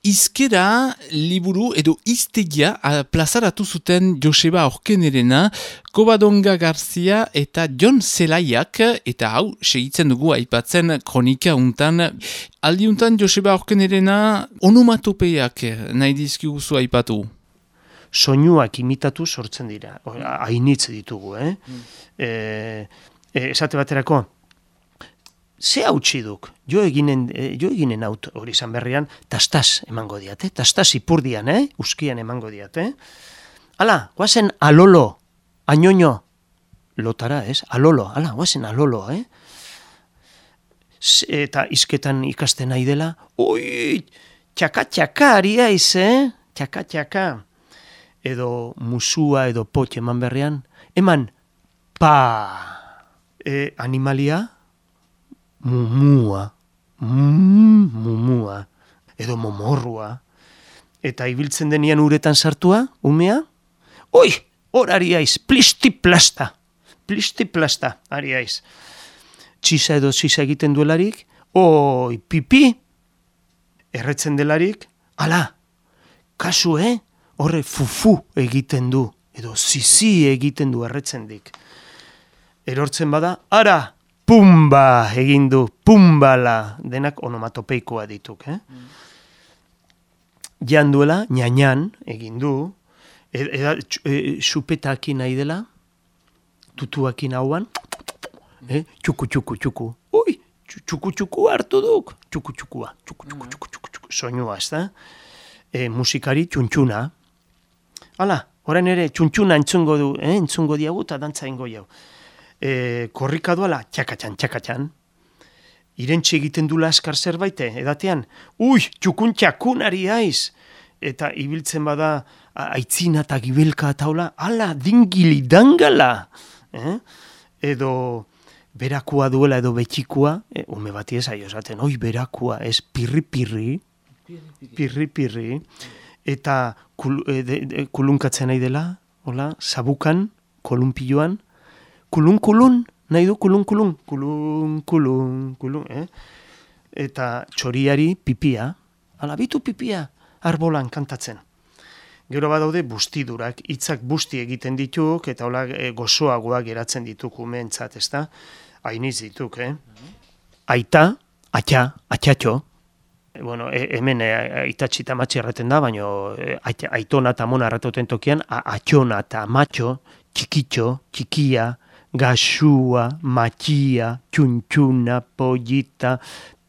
izkera liburu edo iztegia plazaratu zuten Joseba Aurkenerena, Covadonga Garcia eta Jon Zelaiak, eta hau, segitzen dugu aipatzen kronika untan. Aldi untan Joseba Aurkenerena onomatopeiak nahi dizkiguzu aipatu. Soinuak imitatu sortzen dira, hainitz ditugu, esate baterako, ze hautsi duk, jo eginen haut hori izan berrian, tastas emango diat, tastas ipurdian, uskian emango diat, Hala, guazen alolo, añoño, lotara, alolo, hala, guazen alolo, Eta izketan ikasten nahi dela, oi, txaka-txaka ari aiz, txaka-txaka, edo musua edo potxe eman berrian, eman, animalia, mumua, edo momorrua, eta ibiltzen denian uretan sartua, umea, oi, hor ari aiz, plisti-plasta, ari aiz. Txisa edo txisa egiten duelarik, oi, pipi, erretzen delarik, ala, kasu, horre fufu egiten du, edo zizi egiten du erretzen dik. Erortzen bada, ara, pumba egin du, pumbala, denak onomatopeikoa dituk. Jan duela, ñañan egin du, supetakin nahi dela, tutuakin hauan, txuku, ui, txuku hartu duk, txuku, soinua, ez da? Musikari txuntxuna. Hala, orain ere txuntxuna entzungo diagu eta dantza ingo jau. Korrika duela, txakatxan. Irentxe egiten dula askar zerbait, edatean, ui, txukun ari aiz. Eta ibiltzen bada aitzina eta gibelka eta hola, ala, dingili dangala. Edo berakua duela edo betxikua, ume bati ez aio esaten, oi, berakua, ez pirri, eta kulunkatzen nahi dela, hola, sabukan, kolunpilloan, kulun, nahi du kulun, eta txoriari pipia, ala bitu pipia, arbolan kantatzen. Gero badaude bustidurak, hitzak busti egiten dituk, eta hola gozoagoak geratzen dituk umeentzat, ez da? Hainiz dituk, Aita, atxatxo, bueno, hemen aitatxita matxe erraten da, baina aitona eta mona erratuten tokian, atxona eta matxo, txikitxo, txikia, gaxua, matxia, txuntxuna, pollita,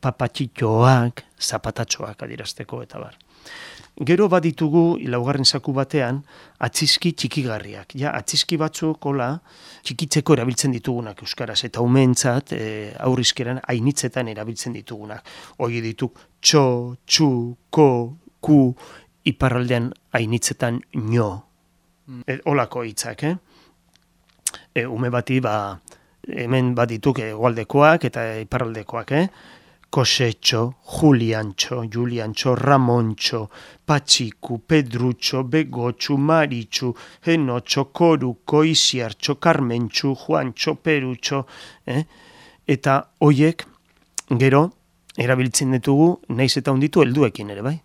papatxitxoak, zapatatxoak adirazteko eta bar. Gero baditugu, laugarren zaku batean, atzizki txikigarriak. Ja, atzizki batzuk, hola, txikitzeko erabiltzen ditugunak euskaraz, eta umeentzat, aurrizkeran, hainitzetan erabiltzen ditugunak. Hoi dituk, txo, txu, ko, ku, iparraldean hainitzetan nio. Holako hitzak, ume bati, hemen badituk hegoaldekoak eta iparraldekoak, Kosetxo, Juliantxo, Ramontxo, Patxiku, Pedrutxo, Begotxu, Maritxu, Henotxo, Koruko, Iziartxo, Karmentxu, Juantxo, Perutxo, eta hoiek gero erabiltzen ditugu, naiz eta hunditu helduekin ere, bai.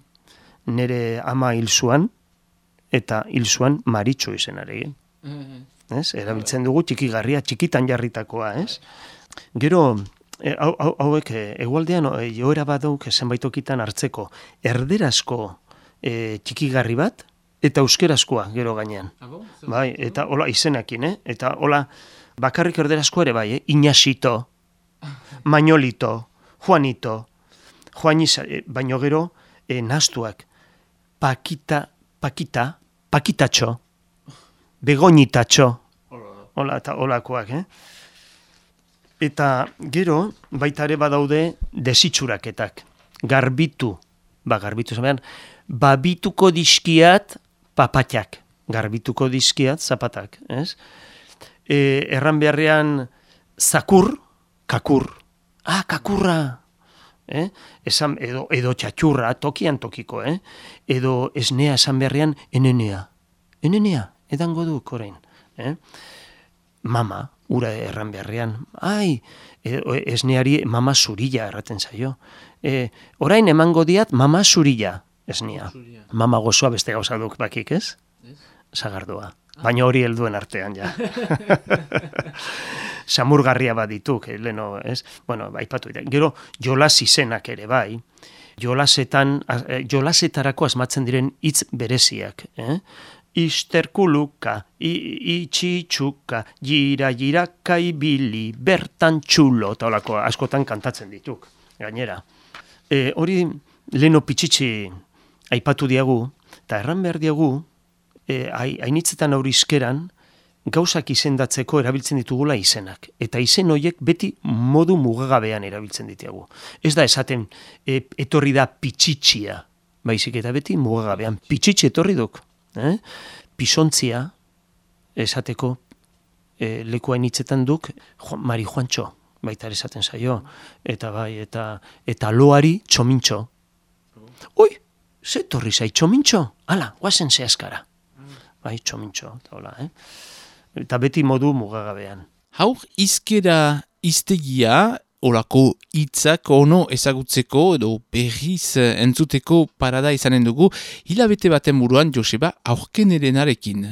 Nere ama hil zuan, eta hil zuan Maritxu izenarekin. Erabiltzen dugu txikigarria, txikitan jarritakoa, Gero, hauek egualdean joera badauk zenbaitokitan hartzeko erderazko txikigarri bat eta euskerazkoa gero gainean. Bai, eta hola izenekin, eta hola bakarrik erderazkoa ere bai, Iñasito, Mañolito, Juanito, baino gero nastuak, Pakitatxo, Begoñitatxo, hola eta holakoak, Eta gero, baita ere badaude desitxuraketak. Garbitu zabean, babituko dizkiat papatxak. Garbituko dizkiat zapatak, ez? Erran beharrean zakur, kakur. Kakurra! Esan, edo txatxurra, tokian tokiko, Edo esnea esan beharrean enenea. Enenea, edango duk orain. Mama, ura erran beharrean, esneari mama zurilla erraten zaio. Orain emango diat mama zurilla, esnia. Mama gozoa beste gauza duk bakik, ez? Sagardua. Baina hori helduen artean, ja. Samurgarria bat dituk, leno, ez? Bueno, aipatu dira. Gero, jolas izenak ere, bai. Jolasetarako asmatzen diren hitz bereziak, Isterkuluka, itxitxuka, jiraka ibili, bertan txulo, eta holako askotan kantatzen dituk, gainera. Hori leno pitxitxi aipatu diagu, eta erran behar diagu, hainitzetan aurri izkeran, gauzak izendatzeko erabiltzen ditugula izenak. Eta izen horiek beti modu mugagabean erabiltzen ditugu. Ez da esaten etorri da pitxitxia, baizik eta beti mugagabean. Pitxitxi etorri duk. Pisontzia esateko leku hainitzetan duk Mari Juantxo, baita esaten zaio. Eta bai, eta loari txomintxo. Oi, ze torri zai txomintxo? Hala, guazen zehazkara. Bai, txomintxo, eta hola, Eta beti modu mugagabean. Haur izkera iztegia, olako hitzak ono ezagutzeko edo berriz entzuteko parada izanen dugu, hilabete baten buruan Joseba Aurkenerenarekin.